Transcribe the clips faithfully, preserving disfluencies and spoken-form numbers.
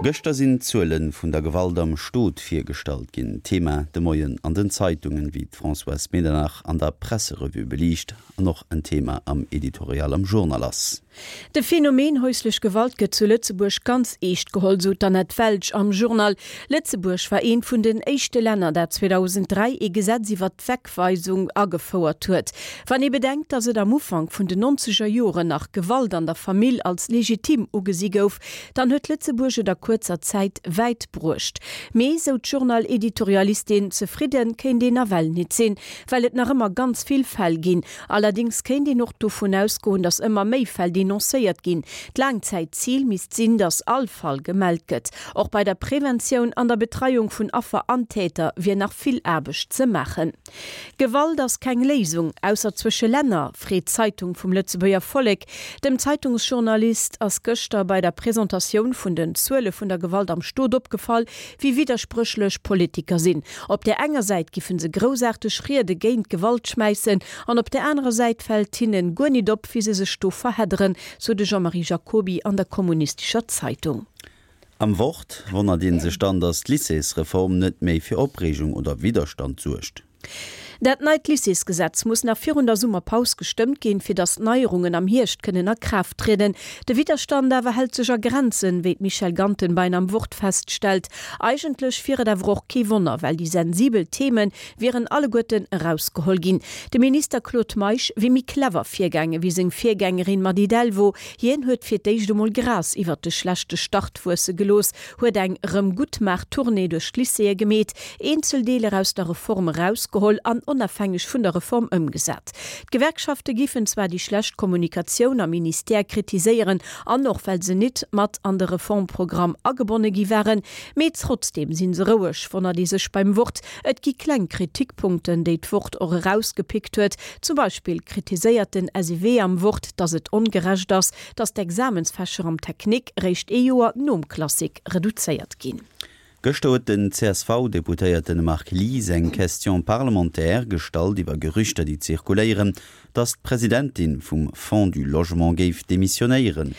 Gëschter sinn d'Zuele vun der Gewalt am Stot virgestallt ginn. Thema de Moien an den Zeitungen, wéi d'Françoise Medernach an der Presserevue beliicht an och en Thema am Editorial am Journal ass. De Phänomen häuslech Gewalt gëtt zu Lëtzebuerg ganz eescht geholl, sou d'Annette Welsch am Journal. Lëtzebuerg war eent vun den éischte Länner, dat zweedausenddräi ee Gesetz iwwer d'Wegweisung agefouert huet. Wann ee bedenkt, datt et am Ufank vun den nonzeger Joren nach Gewalt an der Famill als legitim ugesi gouf, dann huet Lëtzebuerg et a kuerzer Zäit wäit bruecht. Mee, sou d'Journal-Editorialistin, zefridde kéint een nawell nit sinn, well et nach ëmmer ganz vill Fäll ginn. Allerdéngs kéint een och dovun ausgoen, datt ëmmer méi Fäll denoncéiert ginn. D'Laangzäitzil misst sinn, datt all Fall gemellt gëtt. Och bei der Preventioun an der Betreiung vun Affer an Täter wier nach vill Aarbecht ze maachen. Gewalt ass keng Léisung, ausser zwësche Länner, freet d'Zeitung vum Lëtzebuerger Vollek. Dem Zeitungsjournalist ass gëschter bei der Presentatioun vun den Zuele vun der Gewalt am Stot opgefall, wéi widderspréchlech Politiker sinn. Op där enger Säit giffen se groussaarteg Riede géint Gewalt schmäissen an op där anerer Säit fält hinnen guer nit op, wéi se sech do verhedderen, sou de Jean-Marie Jacoby an der Kommunistischer Zeitung. Am Wort wonnert ee sech dann, datt d'Lycéesreform net méi fir Opreegung oder Widderstand suergt. Dat neit Lycéesgesetz muss nach virun der Summerpaus gestëmmt ginn, fir datt d'Neierungen am Hierscht kënnen a Kraaft trieden. De Widderstand awer hält sech a Grenzen, wéi d'Michèle Gantenbein am Wort feststellt. Eigentlech wier et awer och kee Wonner, well déi sensibel Theme wieren alleguerten erausgeholl ginn. De Minister Claude Meisch wier méi clever virgaange wéi seng Virgängerin Mady Delvaux. Hien huet fir d'éischt emol Gras iwwert de schlechte Start wuesse gelooss, huet eng Erëmguttmaach-Tournée duerch d'Lycéeë gemeet, eenzel Deeler aus der Reform erausgeholl an onafhängeg vun der Reform ëmgesat. D'Gewerkschafte giffen zwar déi schlecht Kommunikatioun am Ministère kritiséieren an och well se nit mat an de Reformprogramm agebonne gi waren, mee trotzdeem si se roueg, wonnert ee sech beim Wort. Et gi kleng Kritikpunkten, déi d'Wort och erausgepickt huet. Zum Beispill kritiséiert den S I W am Wort, datt et ongerecht ass, datt d'Examensfächer am Technique réischt ee Joer nom Classique reduzéiert ginn. Gëschter huet den C S V-Deputéierte Marc Lies eng Question parlementaire gestallt iwwer Gerüchter, déi zirkuléieren, datt d'Presidentin vum Fonds du Logement géif demissionéieren.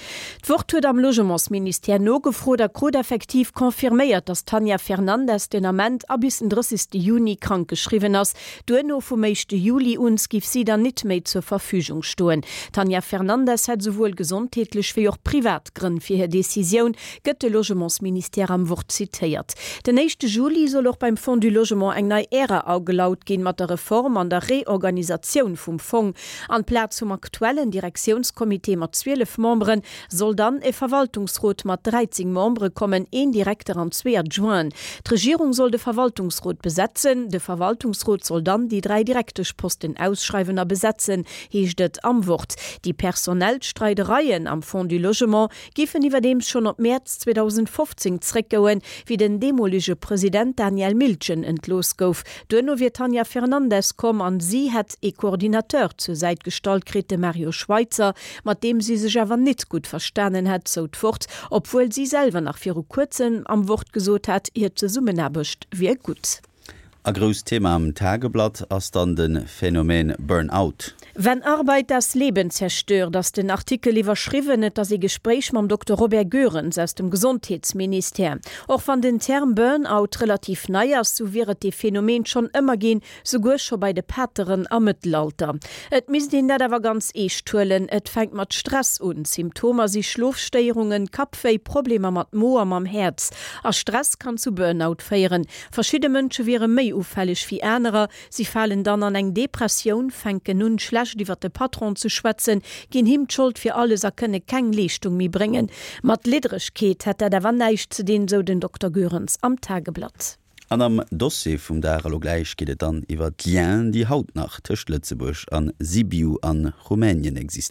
D'Wort huet am Logementsministère nogefrot a krut effektiv confirméiert, datt d'Tanja Fernandes den Ament a bis den drëssegste Juni krankgeschriwwen ass. Duerno vum éischte Juli un giff si dann nit méi zur Verfügung stoen. D'Tanja Fernandes hätt souwuel gesondheetlech wéi och privat Grënn fir hir Decisioun, gëtt de Logementsministère am Wort zitéiert. Den éischte Juli soll och beim Fonds du Logement eng nei Ära agelaut ginn mat der Reform an der Reorganisatioun vum Fong. An Plaz vum aktuellen Direktiounscomité mat zwielef Memberen soll dann e Verwaltungsrot mat dräizéng Membere kommen, een Direkter an zwee Adjointen. D'Regierung soll de Verwaltungsrot besetzen. De Verwaltungsrot soll dann déi dräi Direkteschposten ausschreiwen a besetzen, heescht et am Wort. Déi personell Streidereien am Fonds du Logement giffen iwwerdeems schonn op Mäerz zweedausendfofzéng zréckgoen, wéi den deemolege President Daniel Miltgen entlooss gouf. Duerno wier d'Tanja Fernandes komm an si hätt ee Coordinateur zur Säit gestallt kritt, de Mario Schweitzer, mat deem si sech awer nit gutt verstanen hätt, sou d'Wort, obwuel si selwer nach viru kuerzem am Wort gesot hat, hir Zesummenaarbecht wier gutt. A grousst Thema am Tageblatt ass dann de Phänomen Burnout. Wenn Arbeit das Leben zerstört, ass den Artikel iwwerschriwwen. Et ass ee Gespréich mam Dokter Robert Goerens aus dem Gesondheetsministère. Och wann den Term Burnout relativ nei ass, sou wier et dee Phänomen schonn ëmmer ginn, souguer scho bei de Pateren am Mëttelalter. Et misst een dat awer ganz eescht huelen. Et fänkt mat Stress un. Symptomer si Schlofstéierungen, Kappwéi, Problemer mat Mo a mam Häerz. A Stress kann zu Burnout féieren. Verschidde Mënsche wiere méi ufälleg wéi anerer. Si falen dann an eng Depressioun, fänken un, schlecht iwwer de Patron ze schwätzen, ginn him d'Schold fir alles a kënne keng Leeschtung méi bréngen. Mat Liddregkeet hätt dat awer näischt ze dinn, sou den Dokter Goerens am Tageblatt. An am Dossier vum Dag elo gläich geet et dann iwwer d'Liens, déi haut nach tëscht Lëtzebuerg an Sibiu a Rumänien existéieren.